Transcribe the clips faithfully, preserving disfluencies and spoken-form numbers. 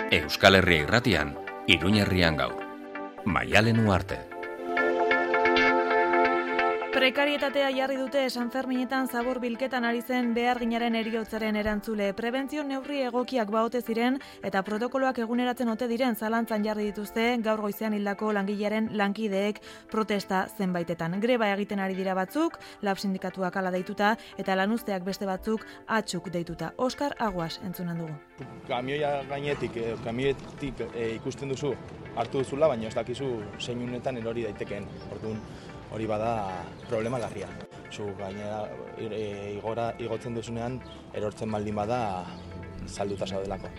Euskal Herria Irratian, Iruñerrian gaur. Maialen Uarte. Prekarietatea jarri dute San Ferminetan zabor bilketan ari zen beharginaren heriotzaren erantzule. Prebentzio neurri egokiak baote ziren eta protokoloak eguneratzen ote diren zalantzan jarri dituzte gaur goizean hildako langilearen lankideek protesta zenbaitetan. Greba egiten ari dira batzuk, lab sindikatuak hala deituta eta lanuzteak beste batzuk atxuk deituta. Oskar Aguas entzunen dugu. Kamioia gainetik, eh, kamioetik eh, ikusten duzu hartu duzula, baina ez dakizu zein unetan erori daitekeen. Orduan, hori bada problema larria. Zu gainera igora igotzen duzunean erortzen baldin bada salduta zaudelako.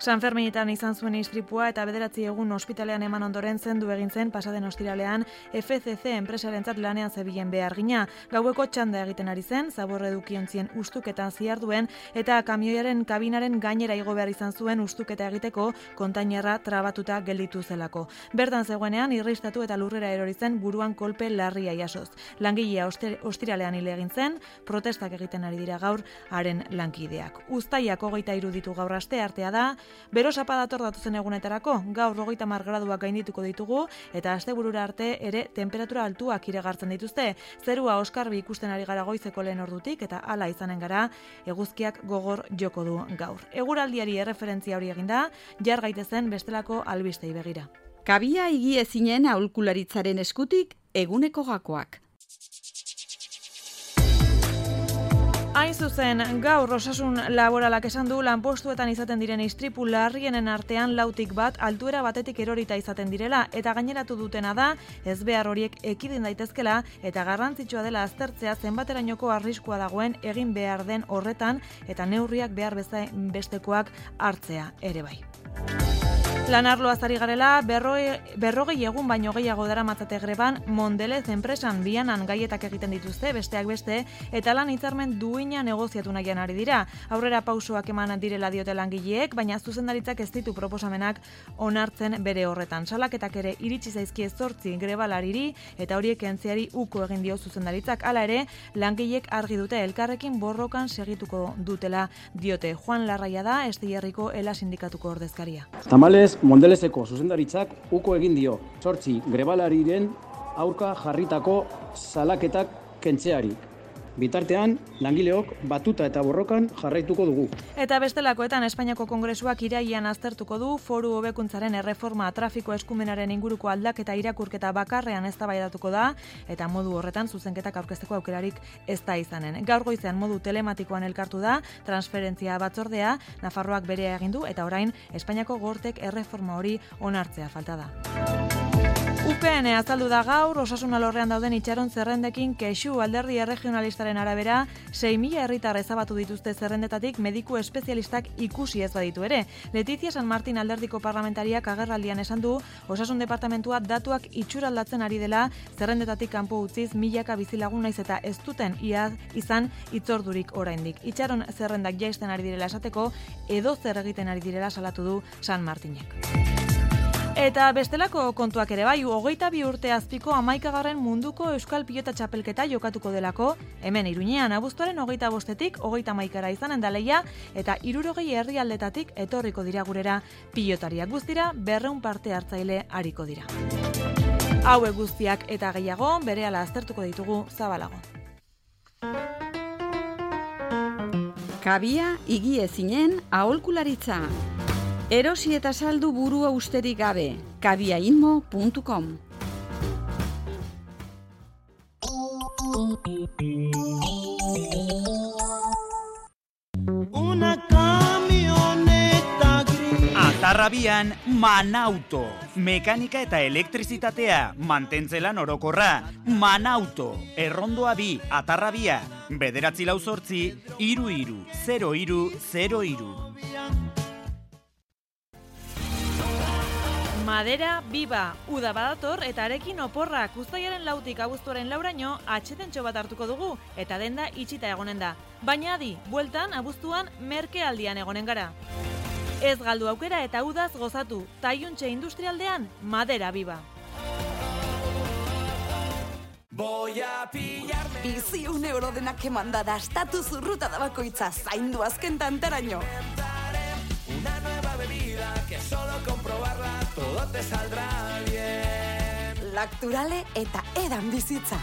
San Ferminetan izan zuen istripua eta bederatzi egun ospitalean eman ondoren zendu egin zen pasaden ostiralean F C C enpresarentzat lanean zebilen behargina. Gaueko txanda egiten ari zen, zaborre edukiontzien ustuketan ziharduen eta kamioiaren kabinaren gainera igo behar izan zuen ustuketa egiteko kontainerra trabatuta gelditu zelako. Bertan zegoenean irristatu eta lurrera erori zen buruan kolpe larria jasoz. Langilea ostiralean hil egin zen, protestak egiten ari dira gaur haren lankideak. Uztaiak hogeita hiru ditu gaur aste artea da. Bero sapa dator datuzen egunetarako, gaur hogeita hamar graduak gaindituko ditugu eta asteburura arte ere temperatura altuak iregartzen dituzte. Zerua oskarbi ikusten ari gara goizeko lehen ordutik eta hala izanen gara eguzkiak gogor joko du gaur. Eguraldiari erreferentzia hori eginda, jar gaitezen bestelako albistei begira. Kabia higiezinen aholkularitzaren eskutik eguneko gakoak. Hain zuzen, gaur osasun laboralak esan du lanpostuetan izaten diren istripu larrienen artean lautik bat altuera batetik erorita izaten direla eta gaineratu dutena da ezbehar horiek ekidin daitezkela eta garrantzitsua dela aztertzea zenbaterainoko arriskua dagoen egin behar den horretan eta neurriak behar bestekoak hartzea ere bai. Lanarloaz ari garela, berroi, berrogei egun baino gehiago daramatzate greban Mondelez enpresan bianan gaietak egiten dituzte, besteak beste, eta lan hitzarmen duina negoziatu nahian ari dira. Aurrera pausoak eman direla diote langileek, baina zuzendaritzak ez ditu proposamenak onartzen bere horretan. Salaketak ere iritsi zaizkie zortzi grebalariri eta horiek entziari uko egin dio zuzendaritzak. Hala ere, langileek argi dute elkarrekin borrokan segituko dutela diote. Juan Larraia da, Esteiarriko Ela sindikatuko ordezkaria. Tamalez, Mondelezeko zuzendaritzak uko egin dio zortzi grebalariren aurka jarritako salaketak kentzeari. Bitartean, langileok batuta eta borrokan jarraituko dugu. Eta bestelakoetan Espainiako Kongresuak irailean aztertuko du foru hobekuntzaren erreforma trafiko eskumenaren inguruko aldaketa irakurketa bakarrean eztabaidatuko da eta modu horretan zuzenketak aurkezteko aukerarik ez da izanen. Gaur goizean modu telematikoan elkartu da transferentzia batzordea, Nafarroak berea egin du eta orain Espainiako Gortek erreforma hori onartzea falta da. U P N azaldu da gaur, osasun alorrean dauden itxaron zerrendekin kexu alderdi erregionalistaren arabera, sei mila herritar ezabatu dituzte zerrendetatik mediku espezialistak ikusi ez baditu ere. Letizia San Martin alderdiko parlamentariak agerraldian esan du, osasun departamentua datuak itxuraldatzen ari dela, zerrendetatik kanpo utziz milaka bizilagun naiz eta ez duten iaz izan itzordurik oraindik. Itxaron zerrendak jaisten ari direla esateko, edo zer egiten ari direla salatu du San Martinek. Eta bestelako kontuak ere bai, hogeita bi urte azpiko hamaikagarren munduko Euskal Pilota Txapelketa jokatuko delako, hemen Iruñean abuztuaren hogeita bostetik hogeita hamaikara izanen da lehia, eta hirurogei herrialdetatik etorriko dira gurera pilotariak guztira, berrehun parte hartzaile ariko dira. Hauek guztiak eta gehiago, berehala aztertuko ditugu zabalago. Kabia higiezinen aholkularitza. Erosi eta saldu burua usterik gabe. kabiainmo puntu com. Una camioneta gris. Atarrabian Manauto. Mekanika eta elektrizitatea, mantentzelan orokorra. Manauto. Errondoa bi, Atarrabia. Bederatzi lau zortzi, iru iru, zero iru, zero iru. Madera Biba, uda badator eta arekin oporrak uztailaren lautik abuztuaren lauraino atxetentxo bat hartuko dugu eta denda itxita egonen da. Baina adi, bueltan abuztuan merkealdian egonen gara. Ez galdu aukera eta udaz gozatu, Taiuntxe industrialdean Madera Biba. Biziun euro denak emanda da, estatu zurruta da bakoitza, zaindu azken tantaraino. te saldrá bien. Lacturale eta edan bizitza.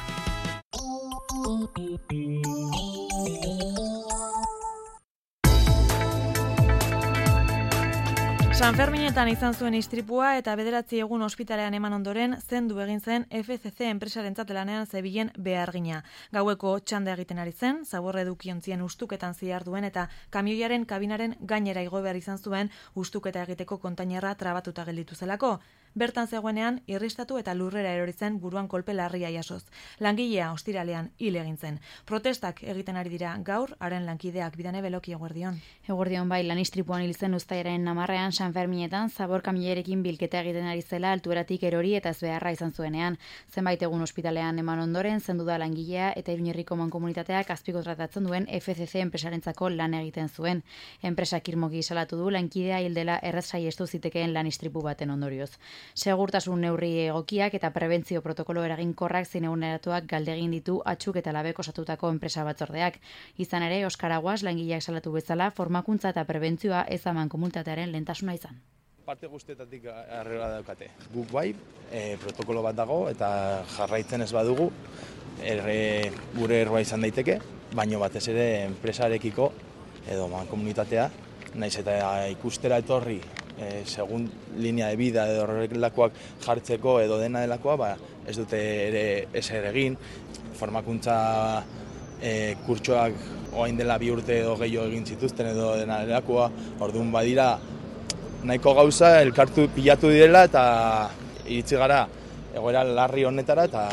San Ferminetan izan zuen istripua eta bederatzi egun ospitalean eman ondoren zendu egin zen F C C enpresarentzat lanean zebilen behargina. Gaueko txanda egiten ari zen, zaborre edukiontzien ustuketan ziharduen eta kamioiaren kabinaren gainera igo behar izan zuen ustuketa egiteko kontainerra trabatuta gelditu zelako. Bertan zegoenean irristatu eta lurrera erori zen buruan kolpe larria jasoz. Langilea ostiralean hil egin zen. Protestak egiten ari dira gaur, haren lankideak. Bidane Beloki, eguerdion. Eguerdion bai, lan istripuan hil zen uztailaren hamarrean San Ferminetan zabor kamioiarekin bilketa egiten ari zela altueratik erori eta ezbeharra izan zuenean. Zenbait egun ospitalean eman ondoren zendu da langilea eta Iruñerriko mankomunitateak azpikontratatzen duen F C C enpresarentzako lan egiten zuen. Enpresak irmoki salatu du lankidea hil dela erraz saiestu zitekeen lan istripu baten ondorioz. Segurtasun neurri egokiak eta prebentzio protokolo eraginkorrak zein eguneratuak galdegin ditu atxuk eta labek osatutako enpresa batzordeak. Izan ere, Oskar Aguas langileak salatu bezala formakuntza eta prebentzioa ez aman komunitatearen lehentasuna izan. Parte guztietatik arrela daukate. Guk bai, e, protokolo bat dago eta jarraitzen ez badugu erre, gure erroa izan daiteke, baino batez ere enpresarekiko edo mankomunitatea, naiz eta ikustera etorri e, segun linea de vida edo horrelakoak jartzeko edo dena delakoa, ba, ez dute ere ezer egin. Formakuntza e, kurtsoak orain dela bi urte edo gehiago egin zituzten edo dena delakoa, orduan badira nahiko gauza elkartu pilatu direla eta iritsi gara egoera larri honetara eta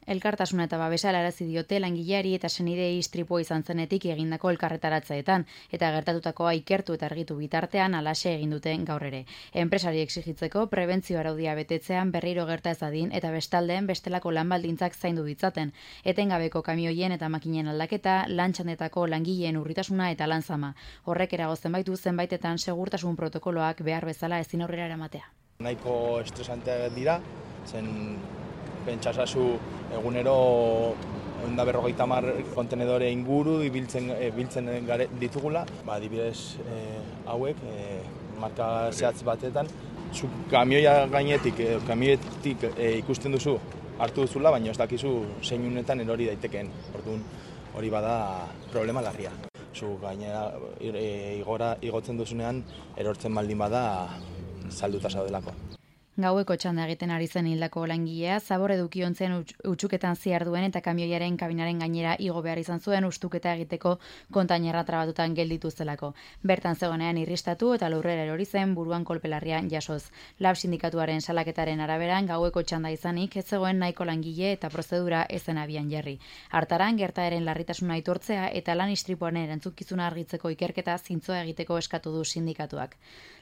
Elkartasuna eta babesa helarazi diote langileari eta senidei istripua izan zenetik egindako elkarretaratzeetan eta gertatutakoa ikertu eta argitu bitartean halaxe egin duten gaur ere. Enpresari exigitzeko prebentzio araudia betetzean berriro gerta ez dadin eta bestaldeen bestelako lan baldintzak zaindu ditzaten. Etengabeko kamioien eta makinen aldaketa, lan txandetako langileen urritasuna eta lan zama. Horrek eragotzen baitu zenbaitetan segurtasun protokoloak behar bezala ezin aurrera eramatea. Nahiko estresanteak dira, zen pentsasazu egunero ehun eta berrogeita hamar kontenedore inguru ibiltzen biltzen ditugula, ba adibidez eh, hauek eh, marka zehatz batetan zu kamioia gainetik eh, kamioetik eh, ikusten duzu hartu duzula, baina ez dakizu zein unetan erori daitekeen. Orduan hori bada problema larria. Zu gainera e, igora igotzen duzunean erortzen baldin bada salduta zaudelako. Gaueko txanda egiten ari zen hildako langilea, zabor edukiontzen utxuketan ziharduen eta kamioiaren kabinaren gainera igo behar izan zuen ustuketa egiteko kontainerra trabatutan gelditu zelako. Bertan zegoenean irristatu eta lurrera erori zen buruan kolpelarrian jasoz. Lab sindikatuaren salaketaren araberan gaueko txanda izanik ez zegoen nahiko langile eta prozedura ezen abian jarri. Hartaran gertaeren larritasuna aitortzea eta lan istripuaren erantzukizuna argitzeko ikerketa zintzoa egiteko eskatu du sindikatuak.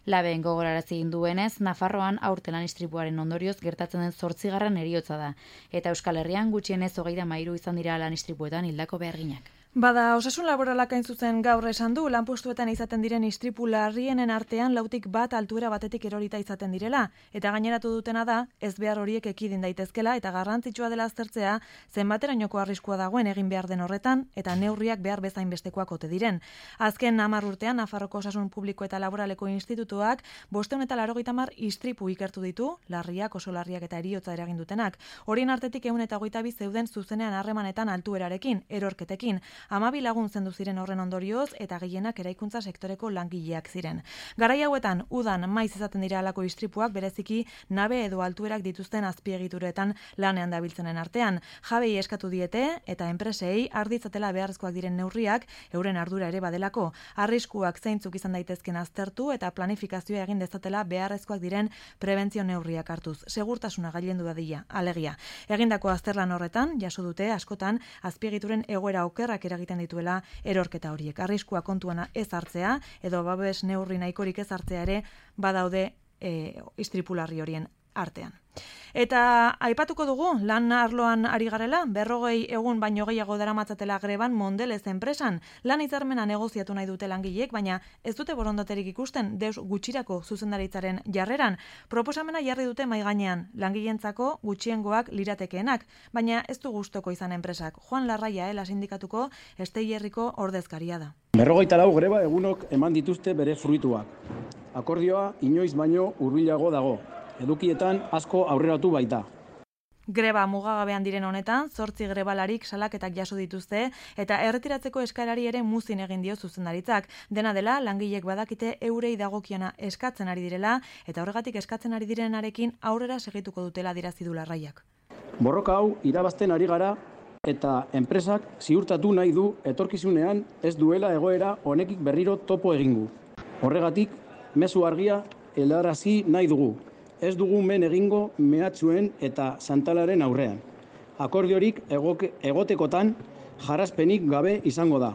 Laben gogorarazi duenez, Nafarroan aurten lan istripuaren ondorioz gertatzen den zortzigarren heriotza da, eta Euskal Herrian gutxienez hogeita hamairu izan dira lan istripuetan hildako beharginak. Bada, osasun laboralak hain zuzen gaur esan du, lanpostuetan izaten diren istripu larrienen artean lautik bat altuera batetik erorita izaten direla, eta gaineratu dutena da, ez behar horiek ekidin daitezkela eta garrantzitsua dela aztertzea, zenbaterainoko arriskua dagoen egin behar den horretan, eta neurriak behar bezain bestekoak ote diren. Azken hamar urtean, Nafarroko Osasun Publiko eta Laboraleko Institutuak, bosteun eta laurogeita hamar istripu ikertu ditu, larriak, oso larriak eta heriotza eragin dutenak. Horien artetik ehun eta hogeita bi zeuden zuzenean harremanetan altuerarekin, erorketekin. Hamabi lagun zendu ziren horren ondorioz eta gehienak eraikuntza sektoreko langileak ziren. Garai hauetan, udan maiz izaten dira halako istripuak bereziki nabe edo altuerak dituzten azpiegituretan lanean dabiltzenen artean. Jabei eskatu diete eta enpresei arditzatela beharrezkoak diren neurriak euren ardura ere badelako. Arriskuak zeintzuk izan daitezken aztertu eta planifikazioa egin dezatela beharrezkoak diren prebentzio neurriak hartuz. Segurtasuna gailendu dadila, alegia. Egindako azterlan horretan, jaso dute askotan azpiegituren egoera okerrak eragiten dituela erorketa horiek. Arriskua kontuana ez hartzea edo babes neurri nahikorik ez hartzea ere badaude e, istripularri horien artean. Eta aipatuko dugu, lan arloan ari garela, berrogei egun baino gehiago daramatzatela greban Mondelez enpresan. Lan hitzarmena negoziatu nahi dute langileek, baina ez dute borondaterik ikusten deus gutxirako zuzendaritzaren jarreran. Proposamena jarri dute mai gainean, langileentzako gutxiengoak liratekeenak, baina ez du gustoko izan enpresak. Juan Larraia, ela sindikatuko Estei Herriko ordezkaria da. Berrogeita lau greba egunok eman dituzte bere fruituak. Akordioa inoiz baino hurbilago dago. Edukietan asko aurreratu baita. Greba mugagabean diren honetan, zortzi grebalarik salaketak jaso dituzte eta erretiratzeko eskarari ere muzin egin dio zuzendaritzak. Dena dela, langilek badakite eurei dagokiona eskatzen ari direla eta horregatik eskatzen ari direnarekin aurrera segituko dutela dirazi du Larraiak. Borroka hau irabazten ari gara eta enpresak ziurtatu nahi du etorkizunean ez duela egoera honekik berriro topo egingu. Horregatik, mezu argia helarazi nahi dugu. Ez dugu men egingo mehatxuen eta santalaren aurrean. Akordiorik egoke, egotekotan jarrazpenik gabe izango da.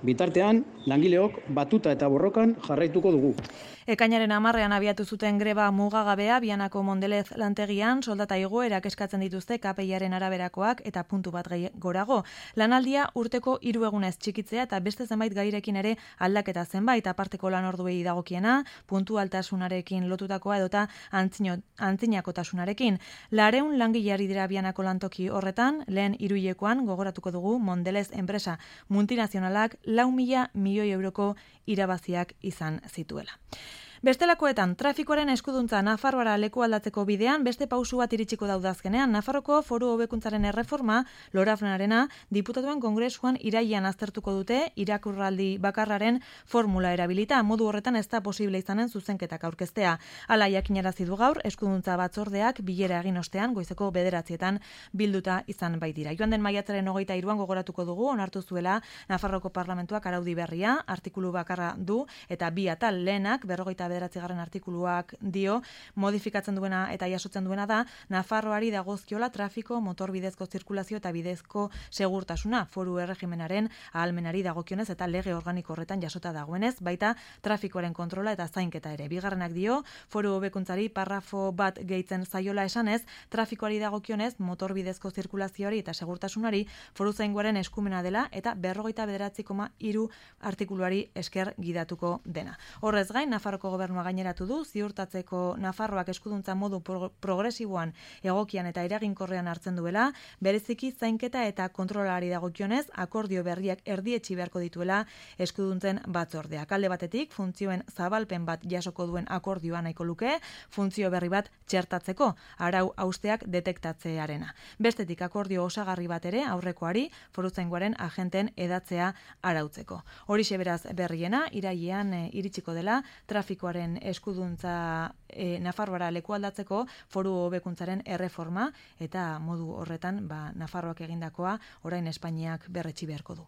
Bitartean, langileok batuta eta borrokan jarraituko dugu. Ekainaren hamarrean abiatu zuten greba mugagabea Bianako Mondelez lantegian soldata igoerak eskatzen dituzte K P I-aren araberakoak eta puntu bat gorago. Lanaldia urteko hiru egunez txikitzea eta beste zenbait gairekin ere aldaketa zenbait aparteko lan orduei dagokiena, puntualtasunarekin lotutakoa edota antzinakotasunarekin. Lareun langileari dira Bianako lantoki horretan, lehen hiruhilekoan gogoratuko dugu Mondelez enpresa multinazionalak lau mila milioi euroko irabaziak izan zituela. Bestelakoetan, trafikoaren eskuduntza Nafarroara leku aldatzeko bidean beste pausu bat iritsiko daudazkenean. Nafarroko foru hobekuntzaren erreforma, Lorafrenarena, diputatuen kongresuan irailean aztertuko dute irakurraldi bakarraren formula erabilita. Modu horretan ez da posible izanen zuzenketak aurkeztea. Hala jakinarazi du gaur, eskuduntza batzordeak bilera egin ostean goizeko bederatzietan bilduta izan baitira. Joan den maiatzaren hogeita hiruan gogoratuko dugu, onartu zuela Nafarroko parlamentuak araudi berria, artikulu bakarra du, eta bi atal lehenak, berrogeita bederatzigarren artikuluak dio, modifikatzen duena eta jasotzen duena da, Nafarroari dagozkiola trafiko, motorbidezko zirkulazio eta bidezko segurtasuna, foru erregimenaren ahalmenari dagokionez eta lege organiko horretan jasota dagoenez, baita trafikoaren kontrola eta zainketa ere. Bigarrenak dio, foru hobekuntzari parrafo bat gehitzen zaiola esanez, trafikoari dagokionez, motorbidezko zirkulazioari eta segurtasunari foru zaingoaren eskumena dela eta berrogeita bederatzi koma hiru artikuluari esker gidatuko dena. Horrez gain, Nafarroko gobernua gaineratu du, ziurtatzeko Nafarroak eskuduntza modu pro- progresiboan egokian eta eraginkorrean hartzen duela, bereziki zainketa eta kontrolari dagokionez, akordio berriak erdietsi beharko dituela eskuduntzen batzordeak. Alde batetik, funtzioen zabalpen bat jasoko duen akordioa nahiko luke, funtzio berri bat txertatzeko, arau hausteak detektatzearena. Bestetik, akordio osagarri bat ere aurrekoari, foruzaingoaren agenten edatzea arautzeko. Horixe beraz berriena, irailean e, iritsiko dela, trafikoaren eskuduntza e, Nafarroara leku aldatzeko foru hobekuntzaren erreforma eta modu horretan ba, Nafarroak egindakoa orain Espainiak berretsi beharko du.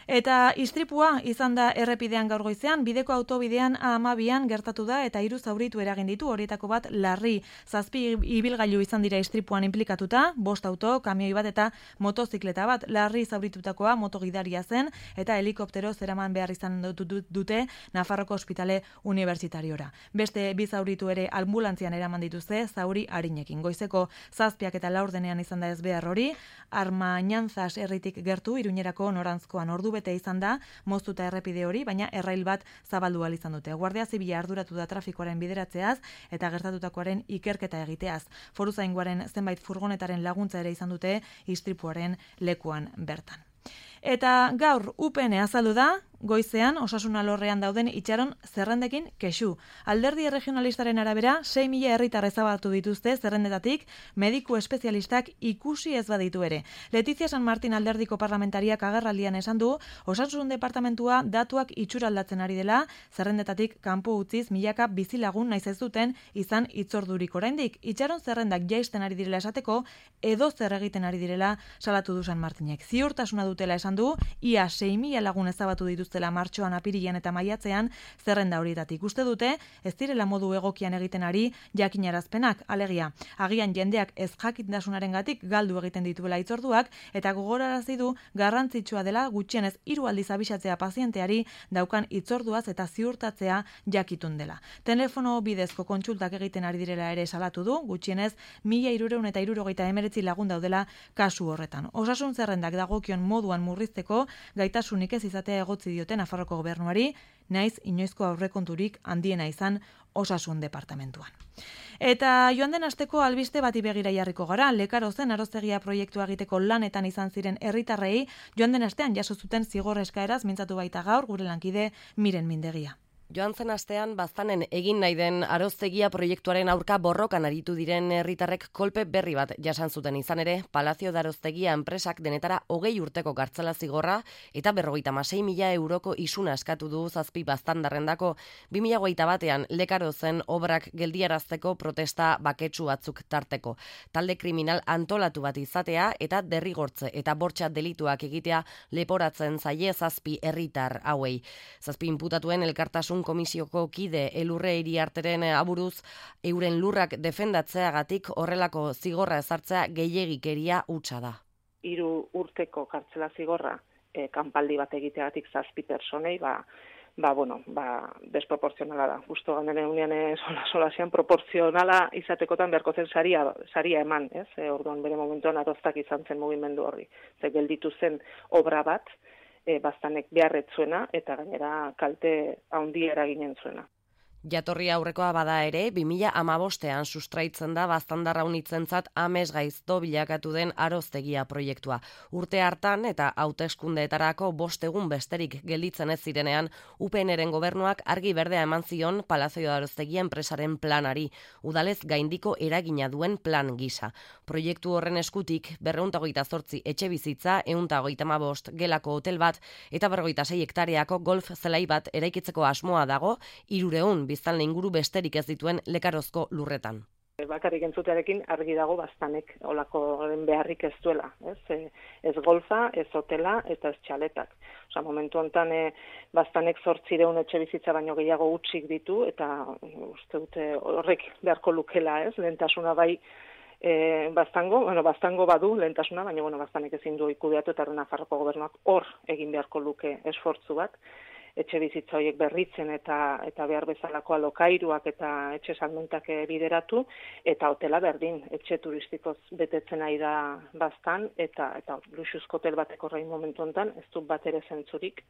Eta istripua izan da errepidean gaur goizean, bideko autobidean A hamabian gertatu da eta hiru zauritu eragin ditu, horietako bat larri. Zazpi ibilgailu izan dira istripuan inplikatuta, bost auto, kamioi bat eta motozikleta bat. Larri zauritutakoa motogidaria zen eta helikoptero zeraman behar izan dute Nafarroko ospitale unibertsitariora. Beste bi zauritu ere ambulantzian eraman dituzte zauri arinekin. Goizeko zazpiak eta laurdenean izan da ez behar hori, Armañanzas herritik gertu Iruñerako norantzkoan ordu bete izan da moztuta errepide hori, baina errail bat zabaldu ahal izan dute. Guardia Zibila arduratu da trafikoaren bideratzeaz eta gertatutakoaren ikerketa egiteaz. Foruzaingoaren zenbait furgonetaren laguntza ere izan dute istripuaren lekuan bertan. Eta gaur U P N azaldu da, goizean osasun alorrean dauden itxaron zerrendekin kexu. Alderdi regionalistaren arabera, sei mila herritar ezabatu dituzte zerrendetatik, mediku espezialistak ikusi ez baditu ere. Letizia San Martin alderdiko parlamentariak agerraldian esan du, osasun departamentua datuak itxuraldatzen ari dela, zerrendetatik kanpo utziz milaka bizilagun naiz ez duten izan itzordurik oraindik. Itxaron zerrendak jaisten ari direla esateko, edo zer egiten ari direla salatu du San Martinek. Ziurtasuna dutela esan du, ia sei mila lagun ezabatu dituztela martxoan, apirilean eta maiatzean zerrenda horietatik. Uste dute, ez direla modu egokian egiten ari jakinarazpenak, alegia. Agian jendeak ez jakintasunarengatik galdu egiten dituela itzorduak eta gogorarazi du garrantzitsua dela gutxienez hiru aldiz abisatzea pazienteari daukan itzorduaz eta ziurtatzea jakitun dela. Telefono bidezko kontsultak egiten ari direla ere salatu du, gutxienez mila hirurehun eta hirurogeita hemeretzi lagun daudela kasu horretan. Osasun zerrendak dagokion moduan murrizteko gaitasunik ez izatea egotzi diote Nafarroko gobernuari, naiz inoizko aurrekonturik handiena izan osasun departamentuan. Eta joan den asteko albiste bati begira jarriko gara, Lekarozen arozegia proiektua egiteko lanetan izan ziren herritarrei joan den astean jaso zuten zigor eskaeraz mintzatu baita gaur gure lankide Miren Mindegia. Joan zen astean baztanen egin nahi den aroztegia proiektuaren aurka borrokan aritu diren herritarrek kolpe berri bat jasan zuten. Izan ere, Palazio de Aroztegia enpresak denetara hogei urteko kartzela zigorra eta berrogeita hamasei mila euroko isuna eskatu du zazpi baztandarrendako. bi mila hogeita batean Lekarozen obrak geldiarazteko protesta baketsu batzuk tarteko. Talde kriminal antolatu bat izatea eta derrigortze eta bortxa delituak egitea leporatzen zaie zazpi herritar hauei. Zazpi inputatuen elkartasun komisioko kide Elurre Iriarteren aburuz euren lurrak defendatzeagatik horrelako zigorra ezartzea gehiegikeria hutsa da. Hiru urteko kartzela zigorra e, kanpaldi bat egiteagatik zazpi personei, ba, ba, bueno, ba, desproportzionala da. Justo gandene unian sola solasean proportzionala izatekotan beharko zen saria, saria eman, ez? E, orduan bere momentuan aroztak izan zen mugimendu horri. Ze gelditu zen obra bat, E, baztanek beharretzuena eta gainera kalte handia eraginen zuena. Jatorri aurrekoa bada ere, bi mila hamabostean sustraitzen da baztandarra unitzentzat amesgaizto bilakatu den aroztegia proiektua. Urte hartan eta hauteskundeetarako bost egun besterik gelditzen ez zirenean, U P Nren gobernuak argi berdea eman zion Palazio de Aroztegia enpresaren planari, udalez gaindiko eragina duen plan gisa. Proiektu horren eskutik berrehun eta hogeita zortzi etxe bizitza, ehun eta hogeita hamabost gelako hotel bat eta berrogeita sei hektareako golf zelai bat eraikitzeko asmoa dago, hirurehun biztanle inguru besterik ez dituen Lekarozko lurretan. Bakarrik entzutearekin argi dago baztanek olako beharrik ez duela, ez? Ez golfa, ez hotela eta ez txaletak. Osa, momentu honetan e, baztanek zortzireun etxe bizitza baino gehiago hutsik ditu eta uste dute horrek beharko lukela, ez? Lehentasuna bai e, baztango, bueno, baztango badu lehentasuna, baina bueno, baztanek ezin du ikudeatu eta Nafarroko gobernuak hor egin beharko luke esfortzu bat. Etxe bizitza horiek berritzen eta eta behar bezalako alokairuak eta etxe salmentak bideratu eta hotela berdin, etxe turistikoz betetzen ari da baztan eta eta luxuzko hotel batek horrein momentu honetan ez du bat ere zentzurik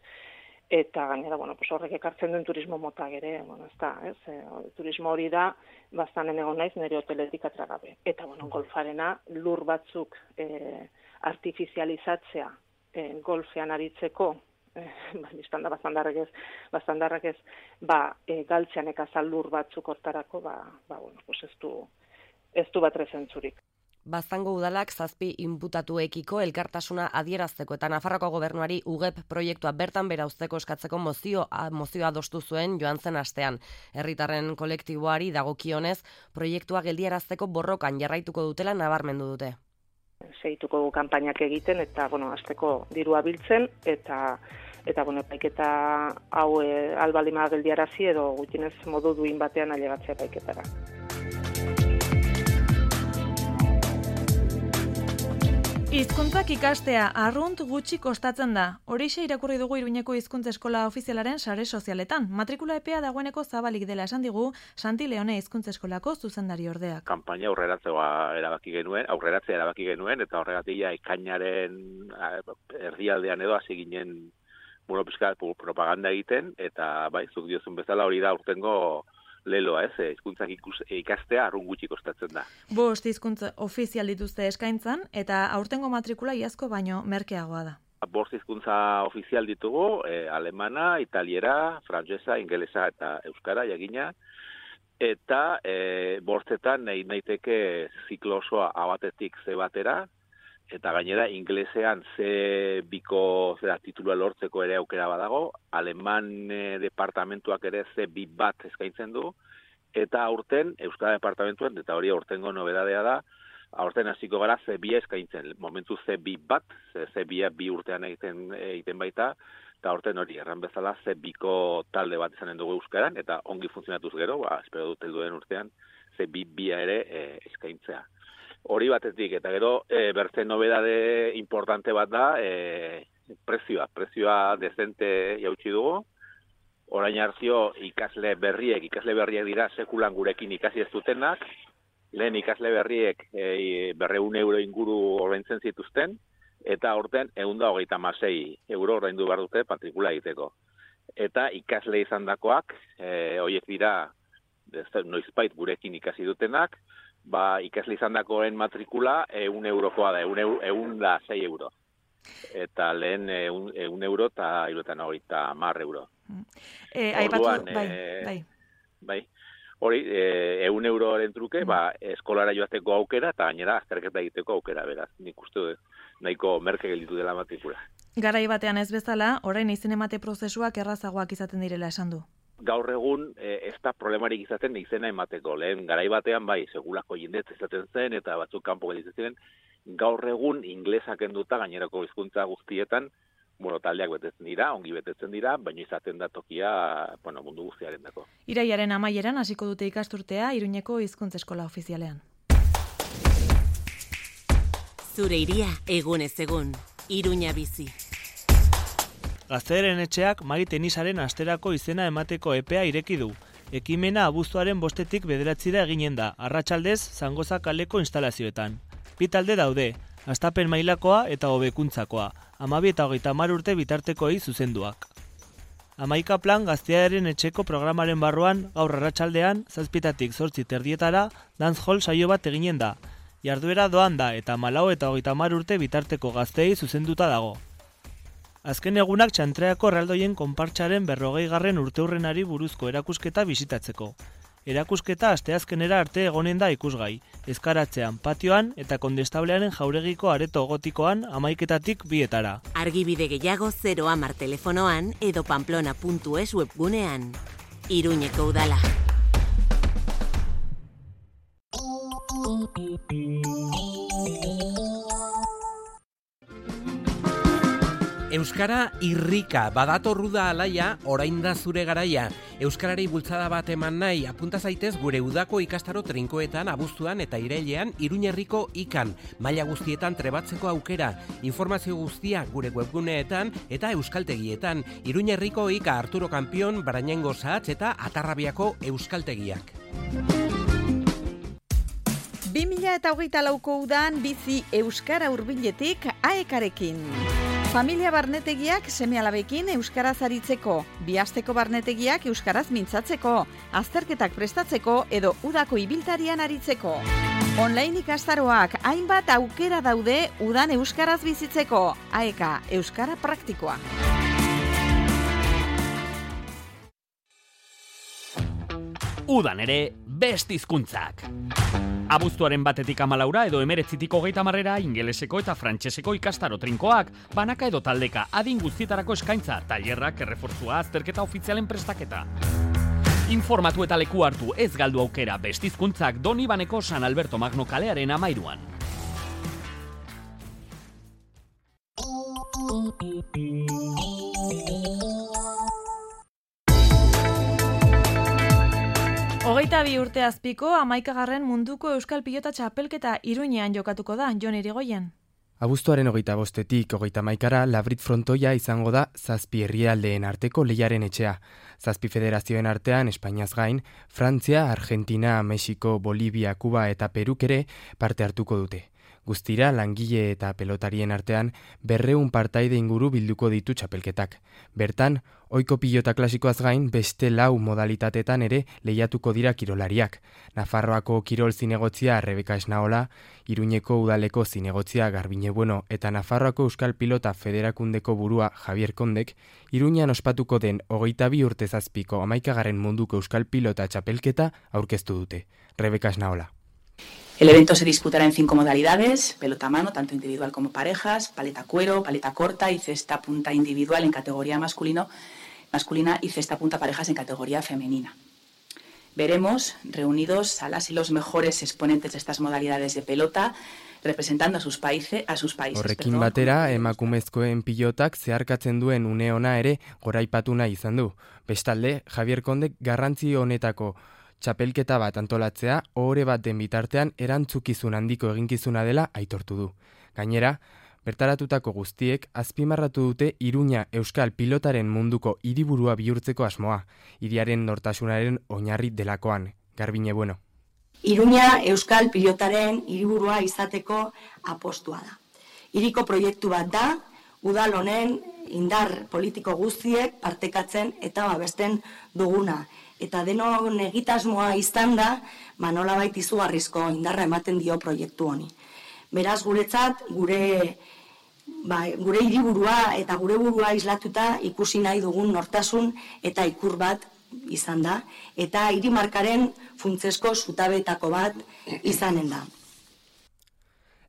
eta gainera bueno, pues horrek ekartzen duen turismo mota ere, bueno, ez da, ez? E, turismo hori da baztanen egon naiz nire hoteletik atragabe. Eta bueno, golfarena lur batzuk e, artifizializatzea e, golfean aritzeko biztan da baztandarrak ez, baztandarrak ez, ba, e, galtzean ekazal lur batzuk hortarako, ba, ba, bueno, pues ez du, ez du bat rezentzurik. Baztango udalak zazpi inputatuekiko elkartasuna adierazteko eta Nafarroko gobernuari U G E P proiektua bertan bera uzteko eskatzeko mozio, mozioa adostu zuen joan zen astean. Herritarren kolektiboari dagokionez, proiektua geldiarazteko borrokan jarraituko dutela nabarmendu dute. Segituko du kanpainak egiten eta bueno, hasteko dirua biltzen eta eta bueno, epaiketa hau e, albalima geldiarazi edo gutxienez modu duin batean ailegatzea epaiketara. Hizkuntzak ikastea arrunt gutxi kostatzen da. Horixe irakurri dugu Iruñeko Hizkuntza Eskola ofizialaren sare sozialetan. Matrikula epea dagoeneko zabalik dela esan digu Santi Leone Hizkuntza Eskolako zuzendari ordeak. Kanpaina aurreratzea erabaki genuen, aurreratzea erabaki genuen eta horregatik ja ekainaren erdialdean edo hasi ginen bueno, pizka propaganda egiten eta bai, zuk diozun bezala hori da urtengo leloa, ez, hizkuntzak ikastea arrun gutxi kostatzen da. Bost hizkuntza ofizial dituzte eskaintzan eta aurtengo matrikula iazko baino merkeagoa da. Bost hizkuntza ofizial ditugu, eh, alemana, italiera, frantsesa, ingelesa eta euskara jakina, eta eh, bostetan nahi naiteke ziklo osoa A batetik C batera, eta gainera inglesean C biko zera titulua lortzeko ere aukera badago, aleman e, departamentuak ere C bi bat eskaintzen du, eta aurten euskara departamentuan, eta hori aurtengo nobedadea da, aurten hasiko gara C bi eskaintzen, momentu C bi bat, C bi bi urtean egiten, egiten baita, eta aurten hori erran bezala C biko talde bat izanen dugu euskaran, eta ongi funtzionatuz gero, ba, espero dut helduen urtean, C bi bia ere e, eskaintzea. Hori batetik, eta gero e, bertze nobedade importante bat da e, prezioa, prezioa dezente jautsi dugu. Orain hartzio ikasle berriek, ikasle berriek dira sekulan gurekin ikasi ez dutenak, lehen ikasle berriek e, berreun euro inguru ordaintzen zituzten, eta aurten ehun eta hogeita hamasei euro ordaindu behar dute matrikula egiteko. Eta ikasle izandakoak, e, horiek dira noizbait gurekin ikasi dutenak, ba, ikasle izandakoen matrikula ehun eurokoa da, ehun da sei euro. Eta lehen ehun euro eta hirurogeita hamar euro. E, aipatu, bai, bai. Bai. Hori, eun euroren truke, ba, eskolara joateko aukera, eta gainera azterketa egiteko aukera, beraz. Nik uste nahiko merke gelditu dela matrikula. Garai batean ez bezala, orain izen emate prozesuak errazagoak izaten direla esan du. Gaur egun ez da problemarik izaten izena emateko. Lehen garai batean bai, segulako jendez izaten zen, eta batzuk kanpo gelditzen ziren. Gaur egun inglesak enduta gainerako hizkuntza guztietan, bueno, taldeak betetzen dira, ongi betetzen dira, baina izaten da tokia, bueno, mundu guztiaren dako. Iraiaren amaieran hasiko dute ikasturtea Iruñeko hizkuntza eskola ofizialean. Zure iria egunez egun, Iruña bizi. Gaztearen etxeak Mari Tenisaren asterako izena emateko epea ireki du. Ekimena abuztuaren bostetik bederatzira eginen da, arratsaldez Zangoza kaleko instalazioetan. Bi talde daude, hastapen mailakoa eta hobekuntzakoa, hamabi eta hogeita hamar urte bitartekoei zuzenduak. Hamaika plan gaztearen etxeko programaren barruan gaur arratsaldean zazpitatik zortzi terdietara dancehall saio bat eginen da. Jarduera doan da eta malau eta hogeita hamar urte bitarteko gazteei zuzenduta dago. Azken egunak Txantreako erraldoien konpartsaren berrogei garren urteurrenari buruzko erakusketa bisitatzeko. Erakusketa asteazkenera arte egonen da ikusgai, ezkaratzean, patioan eta kondestablearen jauregiko areto gotikoan hamaiketatik bietara. Argibide gehiago zero hamar telefonoan edo pamplona puntu es webgunean. Iruñeko udala. Euskara irrika, badatorru da alaia, orain da zure garaia. Euskarari bultzada bat eman nahi, apunta zaitez gure udako ikastaro trinkoetan, abuztuan eta irailean Iruñerriko ikan, maila guztietan trebatzeko aukera. Informazio guztia gure webguneetan eta euskaltegietan. Iruñerriko ika Arturo Kampion, Barañengo Sahatz eta Atarrabiako euskaltegiak. bi mila hogeita lauko udan bizi Euskara hurbiletik aekarekin. Familia barnetegiak seme-alabekin euskaraz aritzeko, bihasteko barnetegiak euskaraz mintzatzeko, azterketak prestatzeko edo udako ibiltarian aritzeko. Online ikastaroak hainbat aukera daude udan euskaraz bizitzeko, aeka euskara praktikoa. Udan ere, best hizkuntzak. Abuztuaren batetik amalaura edo emeretzitik hogeita marrera ingeleseko eta frantseseko ikastaro trinkoak, banaka edo taldeka adin guztietarako eskaintza, tailerrak, errefortzua, azterketa ofizialen prestaketa. Informatu eta leku hartu ez galdu aukera best hizkuntzak Donibaneko San Alberto Magno kalearen amairuan. Hogeita bi urte azpiko hamaikagarren munduko euskal pilota txapelketa Iruñean jokatuko da, Jon Irigoyen. Abuztuaren hogeita bostetik hogeita hamaikara Labrit frontoia izango da zazpi herrialdeen arteko lehiaren etxea. Zazpi federazioen artean Espainiaz gain, Frantzia, Argentina, Mexiko, Bolivia, Kuba eta Peruk ere parte hartuko dute. Guztira, langile eta pelotarien artean berreun partaide inguru bilduko ditu txapelketak. Bertan, ohiko pilota klasikoaz gain beste lau modalitatetan ere lehiatuko dira kirolariak. Nafarroako kirol zinegotzia Rebeka Esnaola, Iruñeko udaleko zinegotzia Garbine Bueno eta Nafarroako Euskal Pilota Federakundeko burua Javier Kondek, Iruñan ospatuko den hogeita bi urte zazpiko hamaikagarren munduko Euskal Pilota txapelketa aurkeztu dute. Rebeka Esnaola. El evento se disputará en cinco modalidades: pelota a mano, tanto individual como parejas, paleta cuero, paleta corta y cesta punta individual en categoría masculino, masculina y cesta punta parejas en categoría femenina. Veremos reunidos a las y los mejores exponentes de estas modalidades de pelota, representando a sus, países, a sus países. Horrekin batera, emakumezkoen pilotak zeharkatzen duen une ona ere goraipatu nahi izan du. Bestalde, Javier Kondek garrantzi honetako txapelketa bat antolatzea ohore bat den bitartean erantzukizun handiko eginkizuna dela aitortu du. Gainera, bertaratutako guztiek azpimarratu dute Iruña euskal pilotaren munduko hiriburua bihurtzeko asmoa, hiriaren nortasunaren oinarri delakoan. Garbine Bueno. Iruña euskal pilotaren hiriburua izateko apostua da. Hiriko proiektu bat da, udal honen indar politiko guztiek partekatzen eta babesten duguna. Eta denon egitasmoa izan da, nolabait izugarrizko indarra ematen dio proiektu honi. Beraz, guretzat, gure ba, gure hiriburua eta gure burua islatuta ikusi nahi dugun nortasun eta ikur bat izan da, eta hirimarkaren funtsezko zutabetako bat izanen da.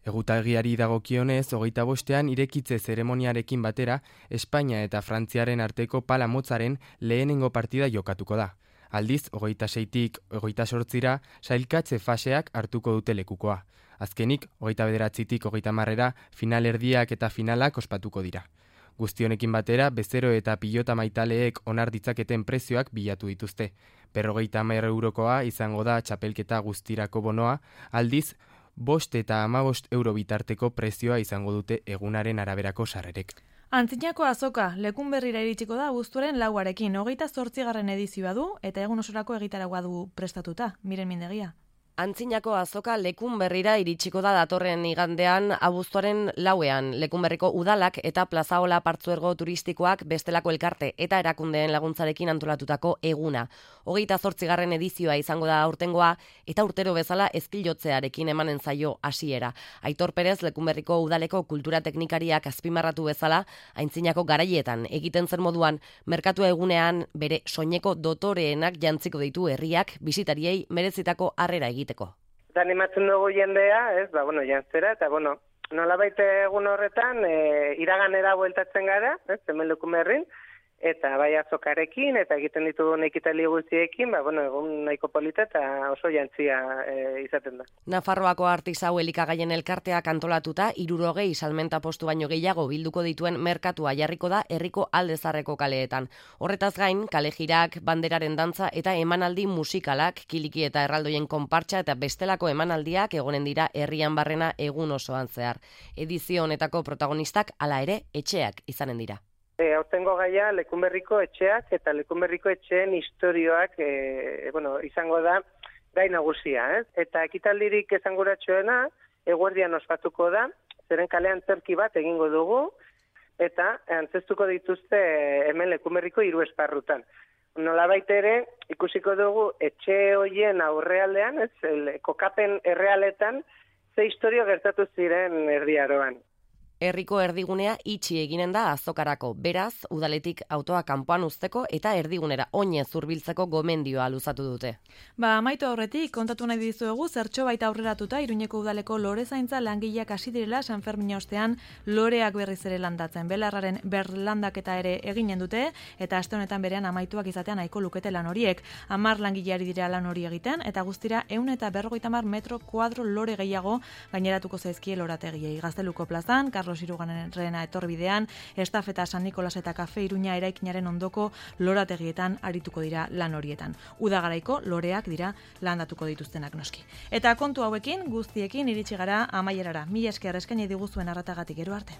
Egutagiari dagokionez, hogeita bostean irekitze zeremoniarekin batera, Espainia eta Frantziaren arteko pala motzaren lehenengo partida jokatuko da. Aldiz, hogeita seitik hogeita sortzira, sailkatze faseak hartuko dute lekukoa. Azkenik, hogeita bederatzitik hogeita marrera, finalerdiak eta finalak ospatuko dira. Guztionekin batera, bezero eta pilota maitaleek onar ditzaketen prezioak bilatu dituzte. Berrogeita hamar eurokoa izango da txapelketa guztirako bonoa, aldiz, bost eta hamabost euro bitarteko prezioa izango dute egunaren araberako sarrerek. Antzinako azoka, lekun berrira iritsiko da abuztuaren lauarekin, hogeita zortzigarren edizioa du eta egun osorako egitaragoa du prestatuta, Miren Mindegia. Antzinako azoka lekun berrira iritsiko da datorren igandean abuztuaren lauean. Lekun berriko udalak eta plazaola partzuergo turistikoak bestelako elkarte eta erakundeen laguntzarekin antolatutako eguna. Hogeita zortzigarren edizioa izango da aurtengoa eta urtero bezala ezkilotzearekin emanen zaio hasiera. Aitor Perez lekun berriko udaleko kultura teknikariak azpimarratu bezala, antzinako garaietan egiten zen moduan, merkatua egunean bere soineko dotoreenak jantziko ditu herriak bisitariei merezitako harrera egiten. Eta animatzen dugu jendea, ez, ba, bueno, jantzera, eta, bueno, nolabait egun horretan, e, iraganera bueltatzen gara, ez, hemen Lekumerrin, eta bai azokarekin, eta egiten ditugun ekitali guztiekin, ba, bueno, egun nahiko polita eta oso jantzia e, izaten da. Nafarroako artisau elikagaien elkarteak antolatuta, hirurogei salmenta postu baino gehiago bilduko dituen merkatua jarriko da herriko aldezarreko kaleetan. Horretaz gain, kalejirak, banderaren dantza eta emanaldi musikalak, kiliki eta erraldoien konpartsa eta bestelako emanaldiak egonen dira herrian barrena egun osoan zehar. Edizio honetako protagonistak hala ere etxeak izanen dira. E, Aurtengo gaia Lekunberriko etxeak eta Lekunberriko etxeen istorioak e, bueno, izango da gai nagusia, ez? Eta ekitaldirik esanguratsuena eguerdian ospatuko da, zeren kalean zerki bat egingo dugu, eta antzestuko dituzte hemen Lekunberriko hiru esparrutan. Nolabait ere ikusiko dugu etxe hoien aurrealdean, ez? El, kokapen errealetan ze istorio gertatu ziren erdiaroan. Herriko erdigunea itxi eginen da azokarako, beraz, udaletik autoa kanpoan uzteko eta erdigunera oinez hurbiltzeko gomendioa luzatu dute. Ba, amaitu aurretik, kontatu nahi dizuegu zertxo baita aurreratuta Iruñeko udaleko lore zaintza langileak hasi direla San Fermin ostean loreak berriz ere landatzen. Belarraren berlandaketa ere eginen dute eta aste honetan berean amaituak izatean nahiko lukete lan horiek. Hamar langileari dira lan hori egiten eta guztira ehun eta berrogeita hamar metro kuadro lore gehiago gaineratuko zaizkie lorategiei. Gazteluko plazan, Carlos Irugarrena etorbidean, estafeta San Nikolas eta Kafe Iruña eraikinaren ondoko lorategietan arituko dira lan horietan. Udagaraiko loreak dira landatuko dituztenak noski. Eta kontu hauekin guztiekin iritsi gara amaierara. Mila esker eskaini diguzuen arratagatik, gero arte.